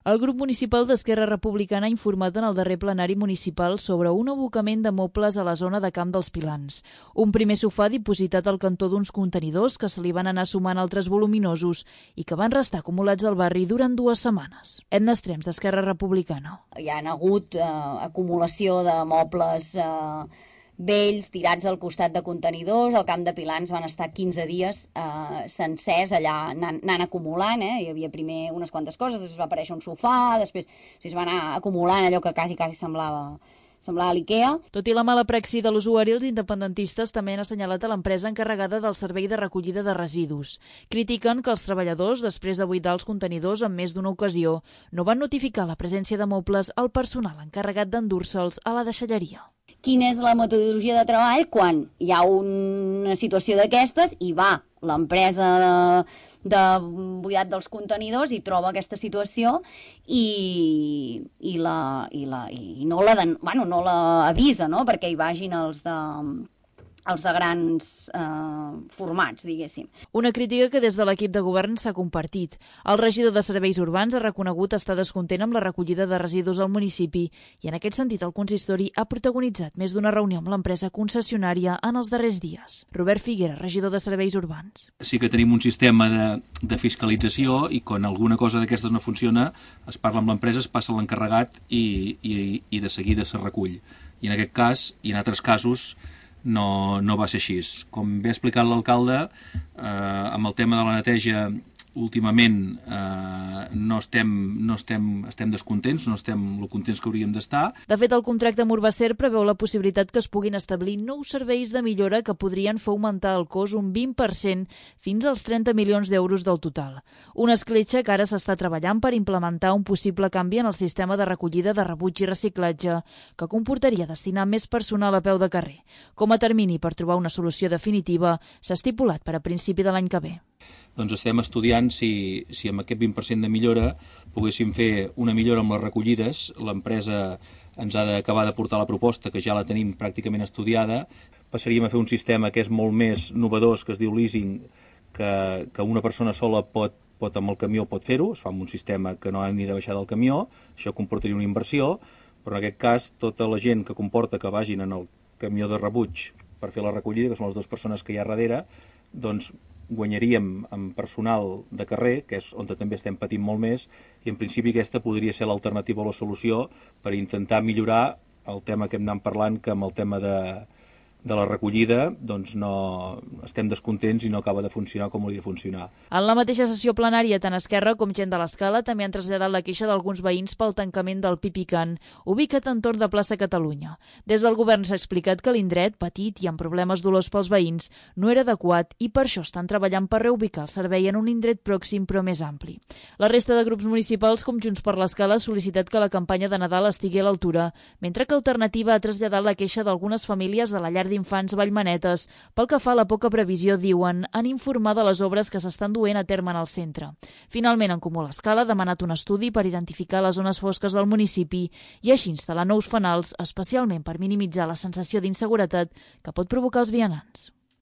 El grup municipal d'Esquerra Republicana ha informat en el darrer plenari municipal sobre un abocament de mobles a la zona de Camp dels Pilans. Un primer sofà dipositat al cantó d'uns contenidors que se li van anar sumant altres voluminosos i que van restar acumulats al barri durant 2 setmanes. Edna Estrems, d'Esquerra Republicana. Hi ha hagut acumulació de mobles vells tirats al costat de contenidors. Al Camp de Pilans van estar 15 dies sencers allà anant acumulant. Hi havia primer unes quantes coses, després va aparèixer un sofà, després es va anar acumulant allò que quasi semblava l'IKEA. Tot i la mala praxi de l'usuari, els independentistes també han assenyalat a l'empresa encarregada del servei de recollida de residus. Critiquen que els treballadors, després de buidar els contenidors en més d'una ocasió, no van notificar la presència de mobles al personal encarregat d'endur-se'ls a la deixalleria. Quina és la metodologia de treball quan hi ha una situació d'aquestes i va l'empresa de buidat dels contenidors i troba aquesta situació i no l'avisa, no? Perquè hi vagin els de grans formats, diguéssim. Una crítica que des de l'equip de govern s'ha compartit. El regidor de Serveis Urbans ha reconegut estar descontent amb la recollida de residus al municipi i en aquest sentit el consistori ha protagonitzat més d'una reunió amb l'empresa concessionària en els darrers dies. Robert Figuera, regidor de Serveis Urbans. Sí que tenim un sistema de fiscalització i quan alguna cosa d'aquestes no funciona es parla amb l'empresa, es passa a l'encarregat i de seguida se recull. I en aquest cas, i en altres casos, no va ser així. Com bé ha explicat l'alcalde, amb el tema de la neteja últimament estem descontents, no estem el contents que hauríem d'estar. De fet, el contracte amb Urbacer preveu la possibilitat que es puguin establir nous serveis de millora que podrien fer augmentar el cost un 20% fins als 30 milions d'euros del total. Una escletxa que ara s'està treballant per implementar un possible canvi en el sistema de recollida de rebuig i reciclatge que comportaria destinar més personal a peu de carrer. Com a termini per trobar una solució definitiva s'ha estipulat per a principi de l'any que ve. Doncs estem estudiant si amb aquest 20% de millora poguéssim fer una millora amb les recollides. L'empresa ens ha d'acabar de portar la proposta, que ja la tenim pràcticament estudiada. Passaríem a fer un sistema que és molt més novedós, que es diu leasing, que una persona sola pot amb el camió pot fer-ho, es fa amb un sistema que no ha ni de baixar del camió, això comportaria una inversió, però en aquest cas tota la gent que comporta que vagin en el camió de rebuig per fer la recollida, que són les 2 persones que hi ha darrere, doncs guanyaríem amb personal de carrer, que és on també estem patint molt més, i en principi aquesta podria ser l'alternativa o la solució per intentar millorar el tema que hem anat parlant, que amb el tema de la recollida doncs no estem descontents i no acaba de funcionar com hauria de funcionar. En la mateixa sessió plenària, tant Esquerra com gent de l'Escala també han traslladat la queixa d'alguns veïns pel tancament del Pipicant, ubicat entorn de plaça Catalunya. Des del govern s'ha explicat que l'indret, petit i amb problemes dolors pels veïns, no era adequat i per això estan treballant per reubicar el servei en un indret pròxim però més ampli. La resta de grups municipals, com Junts per l'Escala, ha sol·licitat que la campanya de Nadal estigui a l'altura, mentre que Alternativa ha traslladat la queixa d'algunes famílies de la llar d'infants Vallmanetes pel que fa a la poca previsió, diuen, en informar de les obres que s'estan duent a terme en el centre. Finalment, en Comú l'Escala ha demanat un estudi per identificar les zones fosques del municipi i així instal·lar nous fanals, especialment per minimitzar la sensació d'inseguretat que pot provocar els vianants.